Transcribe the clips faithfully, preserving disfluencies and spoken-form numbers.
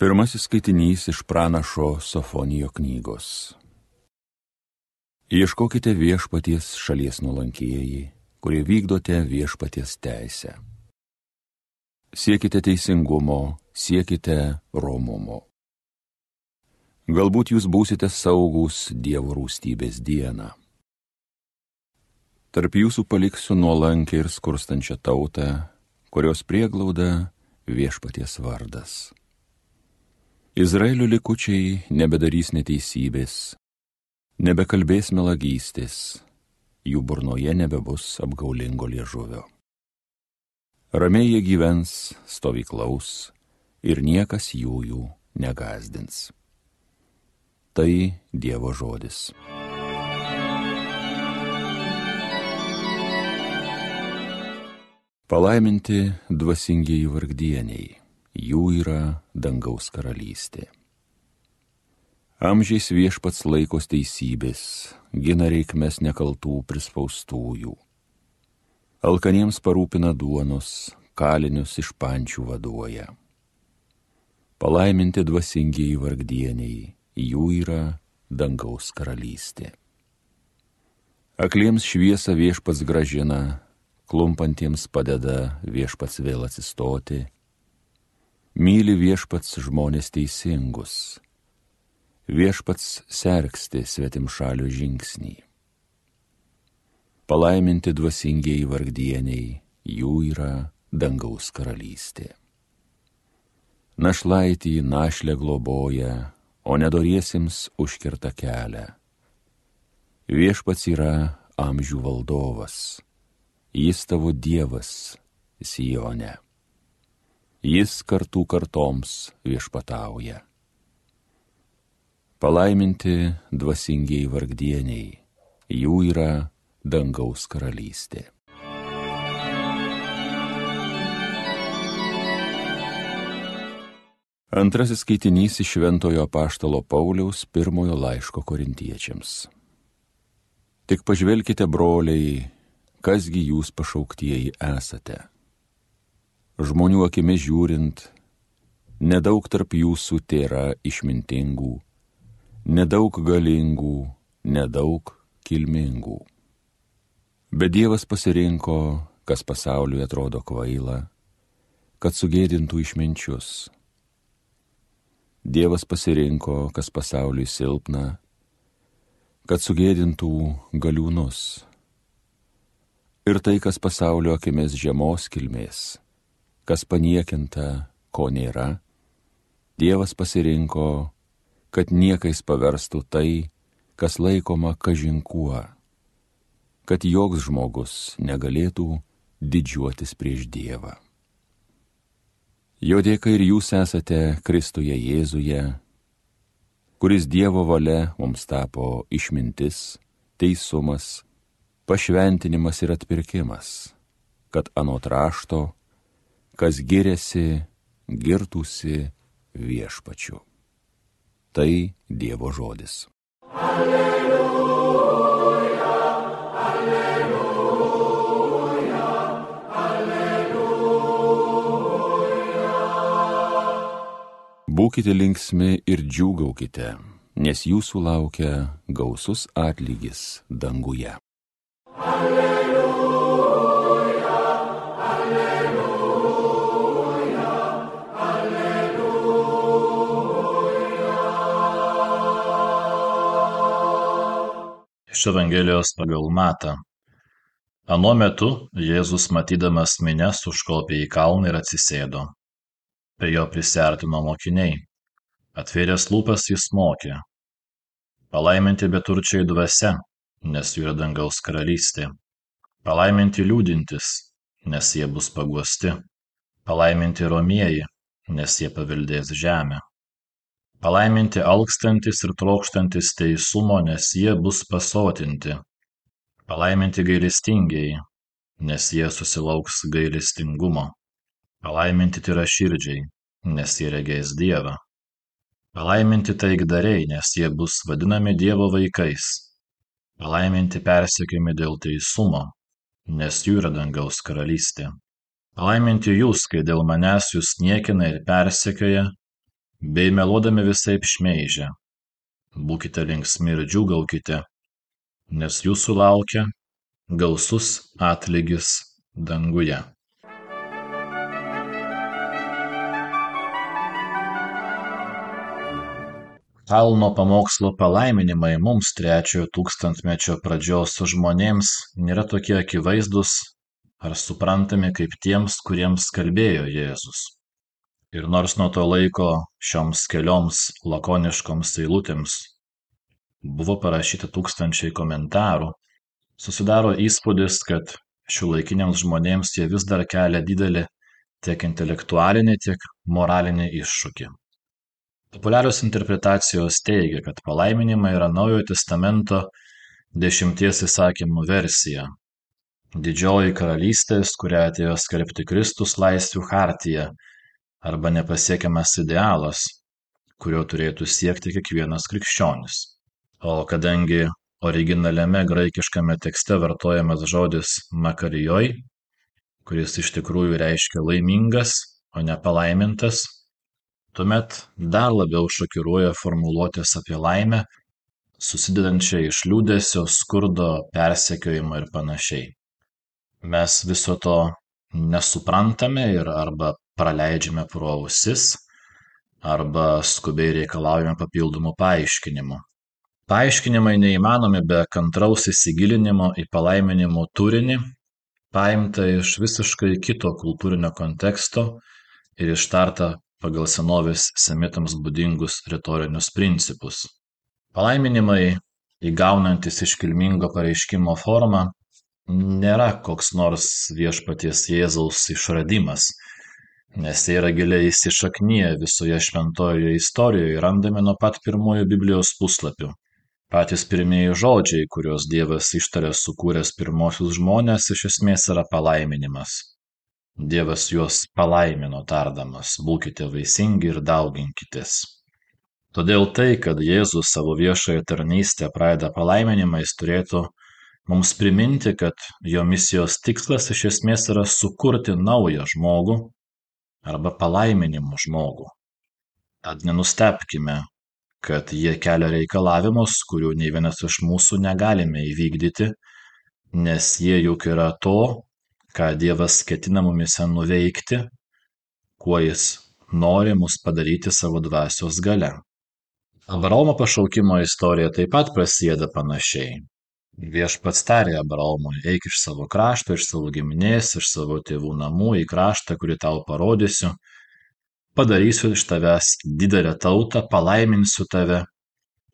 Pirmasis skaitinys iš pranašo Sofonijo knygos. Ieškokite viešpaties šalies nuolankieji, kurie vykdote viešpaties teisę. Siekite teisingumo, siekite romumo. Galbūt jūs būsite saugūs Dievo rūstybės dieną. Tarp jūsų paliksiu nuolankę ir skurstančią tautą, kurios prieglauda viešpaties vardas. Izraelio likučiai nebedarys neteisybės, nebekalbės melagystės, jų burnoje nebebus apgaulingo liežuvio. Ramiai jie gyvens, stovyklaus ir niekas jų jų negąsdins. Tai Dievo žodis. Palaiminti dvasingieji vargdieniai, jų yra dangaus karalystė. Amžiais viešpats laikos teisybės, gina reikmes nekaltų prispaustųjų. Alkaniems parūpina duonos, kalinius iš pančių vaduoja. Palaiminti dvasingieji vargdieniai, jų yra dangaus karalystė. Akliems šviesą viešpats grąžina, klumpantiems padeda viešpats vėl atsistoti. Myli viešpats žmonės teisingus, viešpats sergsti svetimšalio žingsnį. Palaiminti dvasingieji vargdieniai, jų yra dangaus karalystė. Našlaitį našlę globoja, o nedoriesiems užkerta kelią. Viešpats yra amžių valdovas, jis tavo Dievas Sione. Jis kartų kartoms viešpatauja. Palaiminti dvasingieji vargdieniai, jų yra dangaus karalystė. Antrasis skaitinys iš Šventojo apaštalo Pauliaus pirmojo laiško korintiečiams. Tik pažvelkite, broliai, kasgi jūs pašauktieji esate. Žmonių akimis žiūrint, nedaug tarp jūsų tėra išmintingų, nedaug galingų, nedaug kilmingų. Bet Dievas pasirinko, kas pasauliui atrodo kvaila, kad sugėdintų išminčius. Dievas pasirinko, kas pasauliui silpna, kad sugėdintų galiūnus. Ir tai, kas pasaulio akimis žemos kilmės, kas paniekinta, ko nėra, Dievas pasirinko, kad niekais paverstų tai, kas laikoma kažin kuo, kad joks žmogus negalėtų didžiuotis prieš Dievą. Jo dėka ir jūs esate Kristuje Jėzuje, kuris Dievo valia mums tapo išmintis, teisumas, pašventinimas ir atpirkimas, kad anot rašto, kas giriasi, girtųsi viešpačiu. Tai Dievo žodis. Alleluja, alleluja, alleluja. Būkite linksmi ir džiūgaukite, nes jūsų laukia gausus atlygis danguje. Alleluja, alleluja, alleluja. Iš Evangelijos pagal Matą. Anuo metu Jėzus, matydamas minias, užkopė į kalną ir atsisėdo. Prie jo prisiartino mokiniai. Atvėręs lūpas jis mokė. Palaiminti beturčiai dvasia, nes jų yra dangaus karalystė. Palaiminti liūdintys, nes jie bus paguosti. Palaiminti romieji, nes jie paveldės žemę. Palaiminti alkstantys ir trokštantys teisumo, nes jie bus pasotinti. Palaiminti gailestingieji, nes jie susilauks gailestingumo. Palaiminti tyraširdžiai, nes jie regės Dievą. Palaiminti taikdariai, nes jie bus vadinami Dievo vaikais. Palaiminti persekiojami dėl teisumo, nes jų yra dangaus karalystė. Palaiminti jūs, kai dėl manęs jūs niekina ir persekioja, bei meluodami visaip šmeižia. Būkite linksmi ir džiūgaukite, nes jūsų laukia gausus atlygis danguje. Kalno pamokslo palaiminimai mums trečiojo tūkstantmečio pradžios žmonėms nėra tokie akivaizdūs ar suprantami kaip tiems, kuriems kalbėjo Jėzus. Ir nors nuo to laiko šioms kelioms lakoniškoms eilutėms buvo parašyta tūkstančiai komentarų, susidaro įspūdis, kad šiuolaikiniams žmonėms jie vis dar kelia didelį tiek intelektualinį, tiek moralinį iššūkį. Populiarios interpretacijos teigia, kad palaiminimai yra Naujojo testamento dešimties įsakymų versija. Didžioji karalystės, kurią atėjo skelbti Kristus, laisvių chartija arba nepasiekiamas idealas, kurio turėtų siekti kiekvienas krikščionis. O kadangi originaliame graikiškame tekste vartojamas žodis makarijoj, kuris iš tikrųjų reiškia laimingas, o ne palaimintas, tuomet dar labiau šokiruoja formuluotės apie laimę, susidedančią iš liūdesio, skurdo, persekiojimo ir panašiai. Mes viso to nesuprantame ir arba praleidžiame pro ausis, arba skubiai reikalaujame papildomų paaiškinimų. Paaiškinimai neįmanomi be kantraus įsigilinimo į palaiminimo turinį, paimta iš visiškai kito kultūrinio konteksto ir ištarta pagal senovės semitams būdingus retorinius principus. Palaiminimai, įgaunantis iškilmingo pareiškimo formą, nėra koks nors viešpaties Jėzaus išradimas, nes jie yra giliai įsišakniję visoje šventojoje istorijoje, randami nuo pat pirmųjų Biblijos puslapių. Patys pirmieji žodžiai, kuriuos Dievas ištarė sukūręs pirmosius žmones, iš esmės yra palaiminimas. Dievas juos palaimino tardamas, būkite vaisingi ir dauginkitės. Todėl tai, kad Jėzus savo viešąją tarnystę pradeda palaiminimais, turėtų mums priminti, kad jo misijos tikslas iš esmės yra sukurti naują žmogų arba palaiminimų žmogų. Tad nenustebkime, kad jie kelia reikalavimus, kurių nei vienas iš mūsų negalime įvykdyti, nes jie juk yra to, ką Dievas ketina mumise nuveikti, kuo jis nori mus padaryti savo dvasios galia. Abraomo pašaukimo istorija taip pat prasideda panašiai. Viešpats tarė Abraomui, eik iš savo krašto, iš savo giminės, iš savo tėvų namų į kraštą, kurį tau parodysiu, padarysiu iš tavęs didelę tautą, palaiminsiu tave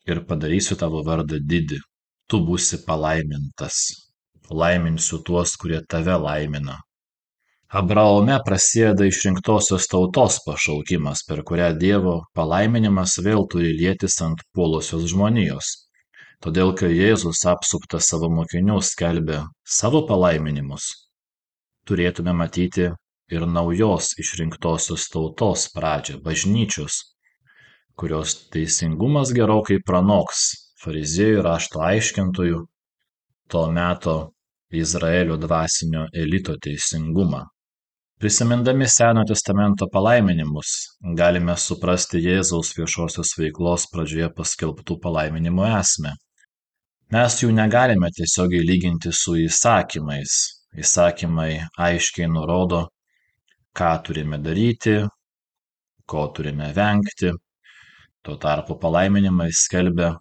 ir padarysiu tavo vardą didį. Tu būsi palaimintas. Laiminsiu tuos, kurie tave laimina. Abraome prasideda išrinktosios tautos pašaukimas, per kurią Dievo palaiminimas vėl turi lietis ant puolusios žmonijos. Todėl, kai Jėzus apsuptas savo mokinių skelbė savo palaiminimus, turėtume matyti ir naujos išrinktosios tautos pradžią, bažnyčios, kurios teisingumas gerokai pranoks fariziejų rašto aiškintojų, to meto Izraelio dvasinio elito teisingumą. Prisimindami Senojo testamento palaiminimus, galime suprasti Jėzaus viešosios veiklos pradžioje paskelbtų palaiminimų esmę. Mes jų negalime tiesiogiai lyginti su įsakymais. Įsakymai aiškiai nurodo, ką turime daryti, ko turime vengti. Tuo tarpu palaiminimai skelbia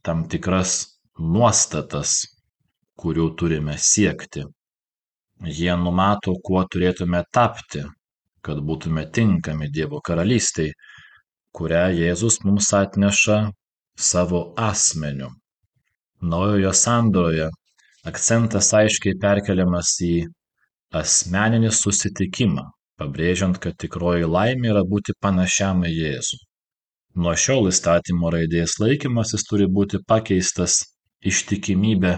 tam tikras nuostatas, kurių turime siekti. Jie numato, kuo turėtume tapti, kad būtume tinkami Dievo karalystei, kurią Jėzus mums atneša savo asmeniu. Naujojo sandoroje akcentas aiškiai perkeliamas į asmeninį susitikimą, pabrėžiant, kad tikroji laimė yra būti panašiam į Jėzų. Nuo šiol įstatymo raidės laikymasis turi būti pakeistas ištikimybė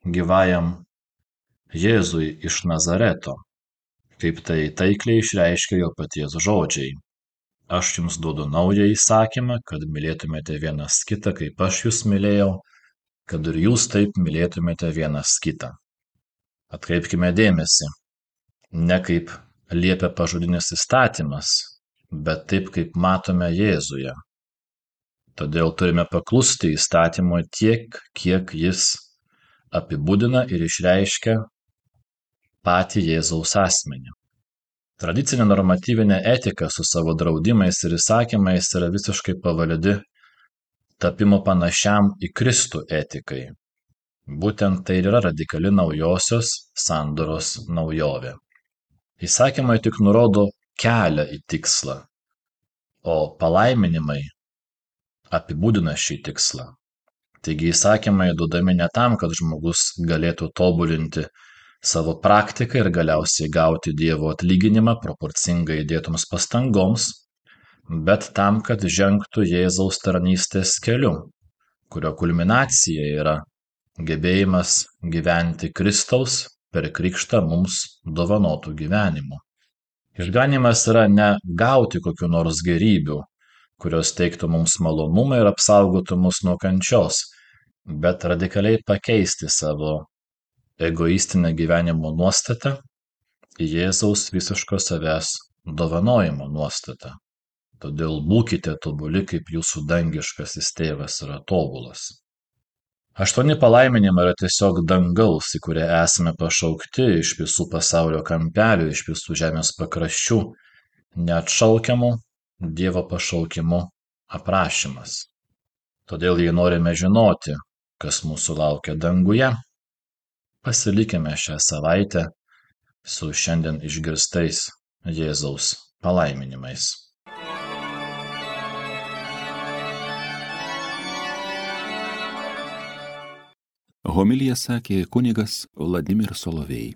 gyvajam Jėzui iš Nazareto, kaip tai taikliai išreiškia jo paties žodžiai. Aš jums duodu naują įsakymą, kad mylėtumėte vienas kitą, kaip aš jūs mylėjau, kad ir jūs taip mylėtumėte vienas kitą. Atkreipkime dėmesį, ne kaip liepia pažodinis įstatymas, bet taip, kaip matome Jėzuje. Todėl turime paklusti įstatymui tiek, kiek jis apibūdina ir išreiškia patį Jėzaus asmenį. Tradicinė normatyvinė etika su savo draudimais ir įsakymais yra visiškai pavaldi tapimo panašiam į Kristų etikai. Būtent tai ir yra radikali naujosios sandoros naujovė. Įsakymai tik nurodo kelią į tikslą, o palaiminimai apibūdina šį tikslą. Taigi įsakymai duodami ne tam, kad žmogus galėtų tobulinti savo praktiką ir galiausiai gauti Dievo atlyginimą proporcingai įdėtoms pastangoms, bet tam, kad žengtų Jėzaus tarnystės keliu, kurio kulminacija yra gebėjimas gyventi Kristaus per krikštą mums dovanotų gyvenimu. Išganymas yra ne gauti kokiu nors gerybių, kurios teiktų mums malonumą ir apsaugotų mus nuo kančios, bet radikaliai pakeisti savo egoistinę gyvenimo nuostatą į Jėzaus visiško savęs dovanojimo nuostatą. Todėl būkite tobuli, kaip jūsų dangiškasis tėvas yra tobulas. Aštuoni palaiminimai yra tiesiog dangaus, į kurią esame pašaukti iš visų pasaulio kampelių, iš visų žemės pakraščių, neatšaukiamų Dievo pašaukimu aprašymas. Todėl, jei norime žinoti, kas mūsų laukia danguje, pasilikime šią savaitę su šiandien išgirstais Jėzaus palaiminimais. Homiliją sakė kunigas Vladimir Solovej.